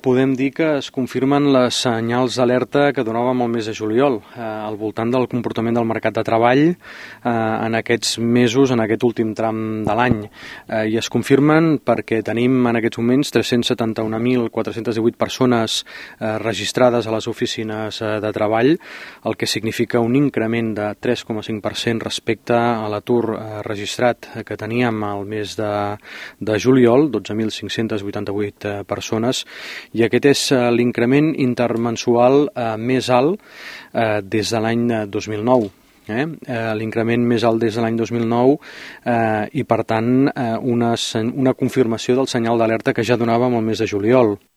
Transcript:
podem dir que es confirmen les senyals d'alerta que donàvem el mes de juliol al voltant del comportament del mercat de treball en aquests mesos, en aquest últim tram de l'any. I es confirmen perquè tenim en aquests moments 371.418 persones registrades a les oficines de treball, el que significa un increment de 3,5% respecte a l'atur registrat que teníem al mes de juliol, 12.588 persones, i aquest és l'increment intermensual més alt des de l'any 2009. L'increment més alt des de l'any 2009 i, per tant, una confirmació del senyal d'alerta que ja donàvem el mes de juliol.